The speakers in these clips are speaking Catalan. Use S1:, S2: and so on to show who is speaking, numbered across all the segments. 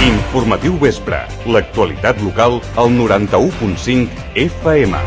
S1: Informatiu Vespre. L'actualitat local al 91.5 FM.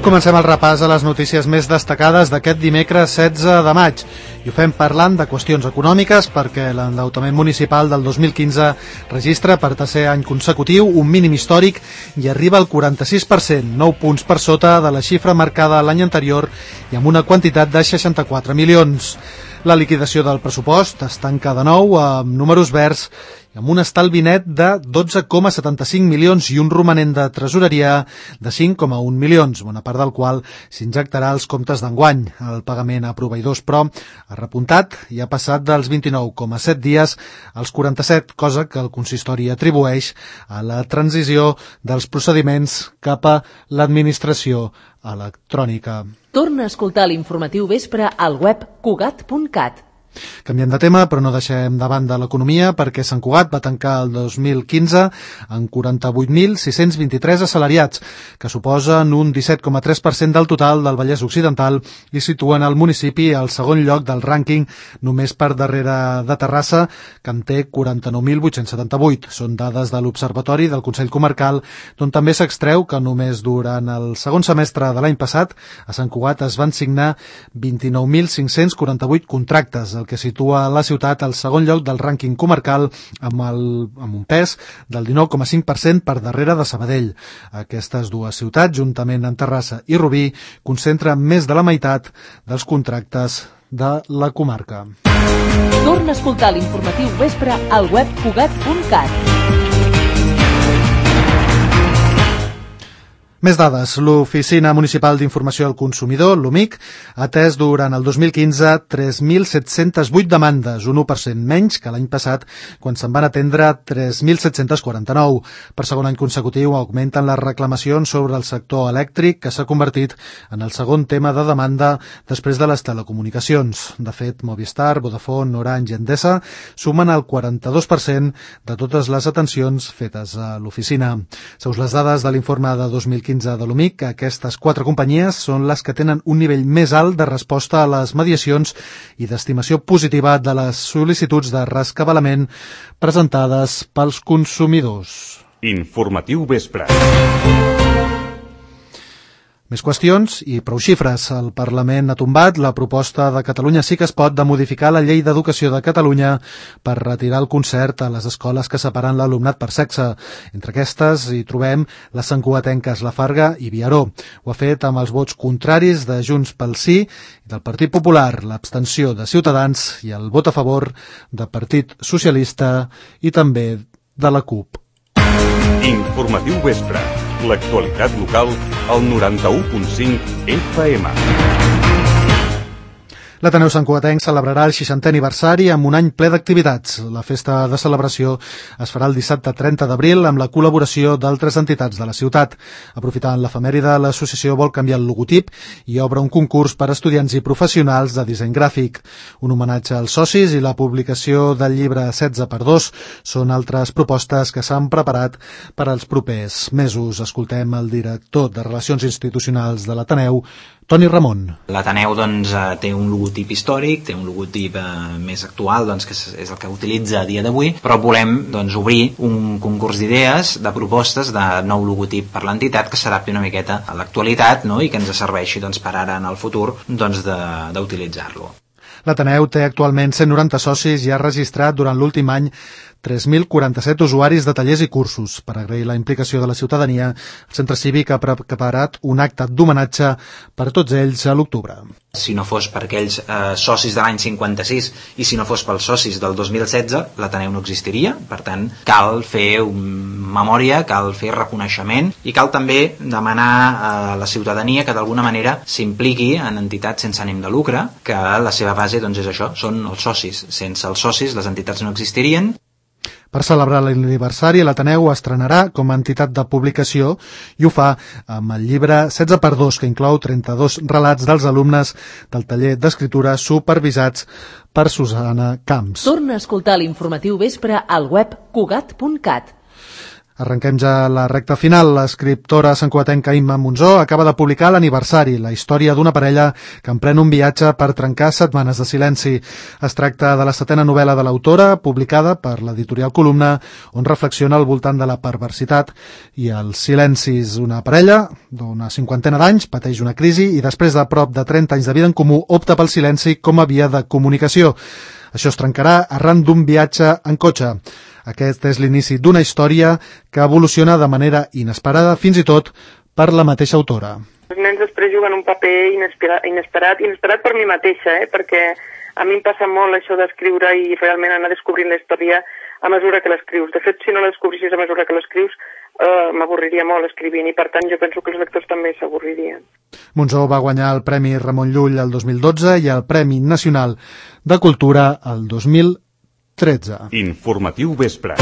S2: Comencem el repàs a les notícies més destacades d'aquest dimecres 16 de maig. I ho fem parlant de qüestions econòmiques perquè l'endeutament municipal del 2015 registra per tercer any consecutiu un mínim històric i arriba al 46%, 9 punts per sota de la xifra marcada l'any anterior i amb una quantitat de 64 milions. La liquidació del pressupost es tanca de nou amb números verds i amb un estalvi net de 12,75 milions i un romanent de tresoreria de 5,1 milions, bona part del qual s'injectarà als comptes d'enguany. El pagament a proveïdors, però, ha repuntat i ha passat dels 29,7 dies als 47, cosa que el consistori atribueix a la transició dels procediments cap a l'administració electrònica.
S3: Torna a escoltar l'informatiu Vespre al web cugat.cat.
S2: Canviem de tema, però no deixem de banda l'economia perquè Sant Cugat va tancar el 2015 amb 48.623 assalariats, que suposen un 17,3% del total del Vallès Occidental i situen el municipi al segon lloc del rànquing, només per darrere de Terrassa, que en té 49.878. Són dades de l'Observatori del Consell Comarcal, d'on també s'extreu que només durant el segon semestre de l'any passat a Sant Cugat es van signar 29.548 contractes, el que situa la ciutat al segon lloc del rànquing comarcal amb un pes del 19,5% per darrere de Sabadell. Aquestes dues ciutats, juntament amb Terrassa i Rubí, concentren més de la meitat dels contractes de la comarca.
S3: Torna a escoltar l'informatiu Vespre al web cugat.cat.
S2: Més dades. L'Oficina Municipal d'Informació al Consumidor, l'OMIC, ha atès durant el 2015 3.708 demandes, un 1% menys que l'any passat, quan se'n van atendre 3.749. Per segon any consecutiu augmenten les reclamacions sobre el sector elèctric, que s'ha convertit en el segon tema de demanda després de les telecomunicacions. De fet, Movistar, Vodafone, Orange i Endesa sumen el 42% de totes les atencions fetes a l'oficina. Segons les dades de l'informe de 2015 de l'OMIC, aquestes 4 companyies són les que tenen un nivell més alt de resposta a les mediacions i d'estimació positiva de les sol·licituds de rescabalament presentades pels consumidors.
S1: Informatiu Vespre.
S2: Més qüestions i prou xifres. El Parlament ha tombat la proposta de Catalunya Sí que es pot de modificar la Llei d'Educació de Catalunya per retirar el concert a les escoles que separen l'alumnat per sexe. Entre aquestes hi trobem les santcugatenques La Farga i Viaró. Ho ha fet amb els vots contraris de Junts pel Sí i del Partit Popular, l'abstenció de Ciutadans i el vot a favor del Partit Socialista i també de la CUP.
S1: Informatiu Vespre. L'actualitat local al 91.5 FM.
S2: L'Ateneu Santcugatenc celebrarà el 60è aniversari amb un any ple d'activitats. La festa de celebració es farà el dissabte 30 d'abril amb la col·laboració d'altres entitats de la ciutat. Aprofitant l'efemèride, l'associació vol canviar el logotip i obre un concurs per a estudiants i professionals de disseny gràfic. Un homenatge als socis i la publicació del llibre 16x2 són altres propostes que s'han preparat per als propers mesos. Escoltem el director de Relacions Institucionals de l'Ateneu, Toni Ramon.
S4: L'Ateneu té un logotip històric, té un logotip més actual, que és el que utilitza a dia d'avui, però volem obrir un concurs d'idees, de propostes de nou logotip per l'entitat que s'adapti una miqueta a l'actualitat, i que ens serveixi per ara en el futur d'utilitzar-lo.
S2: L'Ateneu té actualment 190 socis i ha registrat durant l'últim any 3.047 usuaris de tallers i cursos. Per agrair la implicació de la ciutadania, el Centre Cívic ha preparat un acte d'homenatge per a tots ells a l'octubre.
S4: Si no fos per aquells socis de l'any 56 i si no fos pels socis del 2016, l'Ateneu no existiria. Per tant, cal fer memòria, cal fer reconeixement i cal també demanar a la ciutadania que d'alguna manera s'impliqui en entitats sense ànim de lucre, que la seva base és això, són els socis. Sense els socis les entitats no existirien.
S2: Per celebrar l'aniversari, l'Ateneu estrenarà com a entitat de publicació i ho fa amb el llibre 16x2, que inclou 32 relats dels alumnes del taller d'escriptura supervisats per Susana Camps.
S3: Torna a escoltar l'informatiu Vespre al web cugat.cat.
S2: Arrenquem ja la recta final. L'escriptora santcugatenca Imma Monzó acaba de publicar l'aniversari, la història d'una parella que emprèn un viatge per trencar setmanes de silenci. Es tracta de la 7a novel·la de l'autora, publicada per l'editorial Columna, on reflexiona al voltant de la perversitat i els silencis. Una parella d'una 50ena d'anys pateix una crisi i després de prop de 30 anys de vida en comú opta pel silenci com a via de comunicació. Això es trencarà arran d'un viatge en cotxe. Aquest és l'inici d'una història que evoluciona de manera inesperada, fins i tot per la mateixa autora.
S5: Els nens després juguen un paper inesperat per mi mateixa, perquè a mi em passa molt això d'escriure i realment anar descobrint la història a mesura que l'escrius. De fet, si no la descobrissis a mesura que l'escrius, m'avorriria molt escrivint i per tant jo penso que els lectors també s'avorririen.
S2: Monzó va guanyar el Premi Ramon Llull el 2012 i el Premi Nacional de Cultura el 2013.
S1: Informatiu Vespre.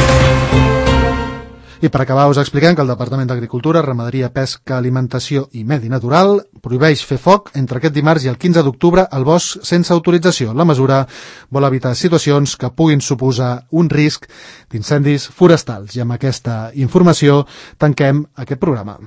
S2: I per acabar us expliquem que el Departament d'Agricultura, Ramaderia, Pesca, Alimentació i Medi Natural prohibeix fer foc entre aquest dimarts i el 15 d'octubre al bosc sense autorització. La mesura vol evitar situacions que puguin suposar un risc d'incendis forestals. I amb aquesta informació tanquem aquest programa.